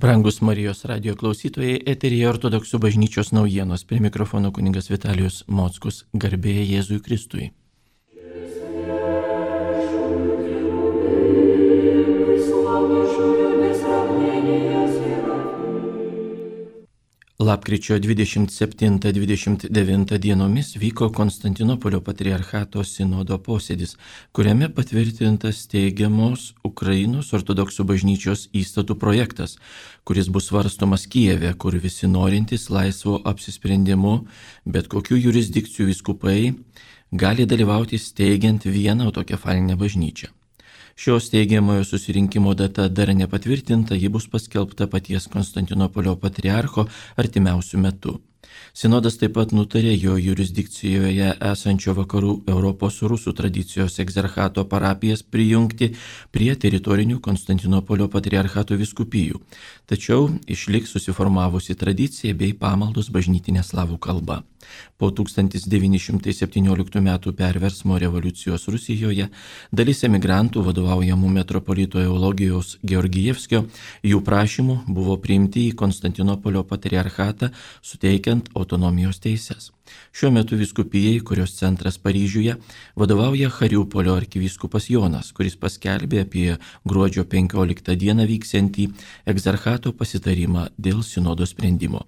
Brangus Marijos radijo klausytojai, eteryje Ortodoksų bažnyčios naujienos. Prie mikrofono kunigas Vitalijus Mockus, garbė Jėzui Kristui. Lapkričio 27-29 dienomis vyko Konstantinopolio patriarchato sinodo posėdis, kuriame patvirtintas teigiamos Ukrainos ortodoksų bažnyčios įstatų projektas, kuris bus svarstomas Kijeve, kur visi norintys laisvo apsisprendimu, bet kokių jurisdikcijų vyskupai gali dalyvauti steigiant vieną autokefalinę bažnyčią. Šios steigiamojo susirinkimo data dar nepatvirtinta, ji bus paskelbta paties Konstantinopolio patriarcho artimiausiu metu. Sinodas taip pat nutarė jo jurisdikcijoje esančio vakarų Europos rusų tradicijos egzarchato parapijas prijungti prie teritorinių Konstantinopolio patriarchato vyskupijų, tačiau išliks susiformavusi tradicija bei pamaldos bažnytinė slavų kalba. Po 1917 m. perversmo revoliucijos Rusijoje dalis emigrantų vadovaujamų metropolito Eulogijos Georgijevskio jų prašymų buvo priimti į Konstantinopolio patriarchatą, suteikiant autonomijos teises. Šiuo metu vyskupijai, kurios centras Paryžiuje, vadovauja Chariupolio arkivyskupas Jonas, kuris paskelbė apie gruodžio 15 dieną vyksiantį egzarchato pasitarimą dėl sinodo sprendimo.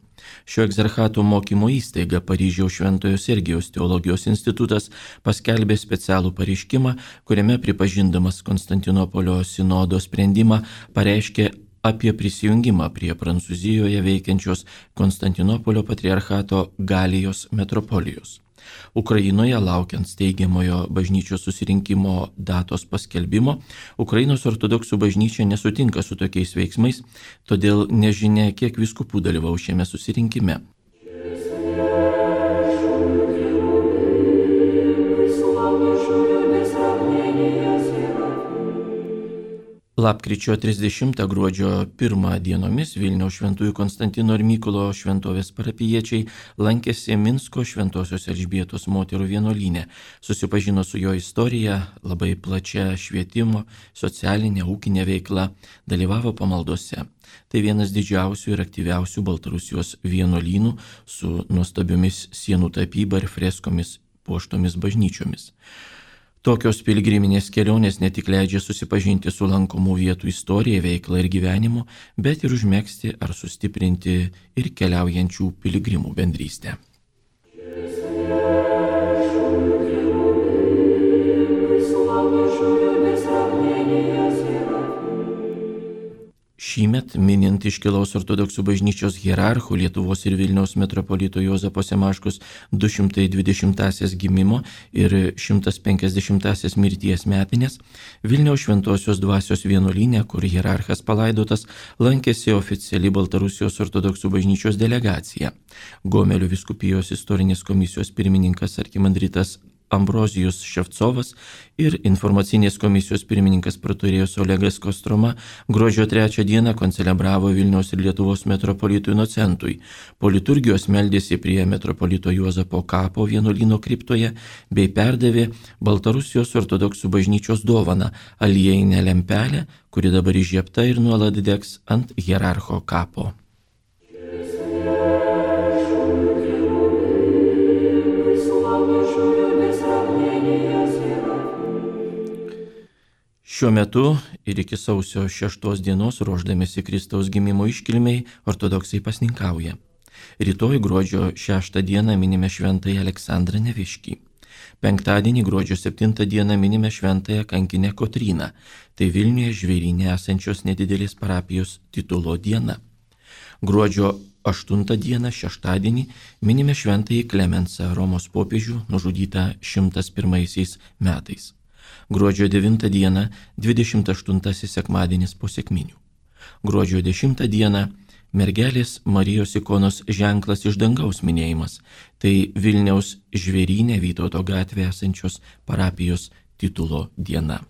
Šio egzarchato mokymo įstaiga Paryžiaus Šventojo Sergijaus teologijos institutas paskelbė specialų pareiškimą, kuriame pripažindamas Konstantinopolio sinodo sprendimą pareiškė apie prisijungimą prie Prancūzijoje veikiančios Konstantinopolio patriarchato Galijos metropolijos. Ukrainoje, laukiant steigiamojo bažnyčios susirinkimo datos paskelbimo, Ukrainos ortodoksų bažnyčia nesutinka su tokiais veiksmais, todėl nežinia, kiek vyskupų dalyvaus šiame susirinkime. Lapkričio 30 gruodžio 1 dienomis Vilniaus Šventųjų Konstantino ir Mykolo šventovės parapijiečiai lankėsi Minsko Šventosios Elžbietos moterų vienuolyne, susipažino su jo istorija, labai plačia švietimo, socialinė, ūkinė veikla, dalyvavo pamaldose. Tai vienas didžiausių ir aktyviausių Baltarusijos vienuolynų su nuostabiomis sienų tapyba ir freskomis puoštomis bažnyčiomis. Tokios piligriminės kelionės ne tik leidžia susipažinti su lankomų vietų istorija, veikla ir gyvenimu, bet ir užmegzti ar sustiprinti ir keliaujančių piligrimų bendrystę. Šįmet, minint iškilaus ortodoksų bažnyčios hierarchų Lietuvos ir Vilniaus metropolito Juozapo Semaškos 220-asias gimimo ir 150-asias mirties metinės, Vilniaus Šventosios dvasios vienuolyne, kur hierarchas palaidotas, lankėsi oficiali Baltarusijos ortodoksų bažnyčios delegacija. Gomelio vyskupijos istorinės komisijos pirmininkas arkimandritas Ambrozijus Ševcovas ir informacinės komisijos pirmininkas praturėjus Olegas Kostroma gruodžio 3 dieną koncelebravo Vilniaus ir Lietuvos metropolitų inocentui. Po liturgijos meldėsi prie metropolito Juozapo kapo vienuolyno kriptoje bei perdavė Baltarusijos ortodoksų bažnyčios dovaną aliejinę lempelę, kuri dabar įžiebta ir nuolat degs ant hierarcho kapo. Šiuo metu ir iki sausio 6 dienos, ruošdamėsi Kristaus gimimo iškilmei, ortodoksai pasninkauja. Rytoj gruodžio 6 dieną minime šventąją Aleksandrą Neviškį. Penktadienį gruodžio 7 dieną minime šventąją kankinę Kotryną. Tai Vilniuje Žvėryne esančios nedidelės parapijos titulo diena. Gruodžio 8 dieną, šeštadienį, minime šventąjį Klemensą, Romos popiežių, nužudytą 101 metais. Gruodžio 9 dieną, 28 sekmadienis po sekminių. Gruodžio 10 dieną, mergelės Marijos ikonos ženklas iš dangaus minėjimas. Tai Vilniaus Žvėryne Vytauto gatvėje esančios parapijos titulo diena.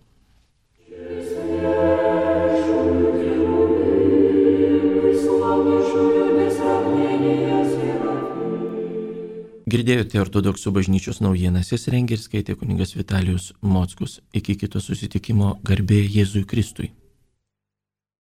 Girdėjote ortodoksų bažnyčios naujienas, jas rengė ir skaitė kunigas Vitalijus Mockus. Iki kito susitikimo, garbė Jėzui Kristui.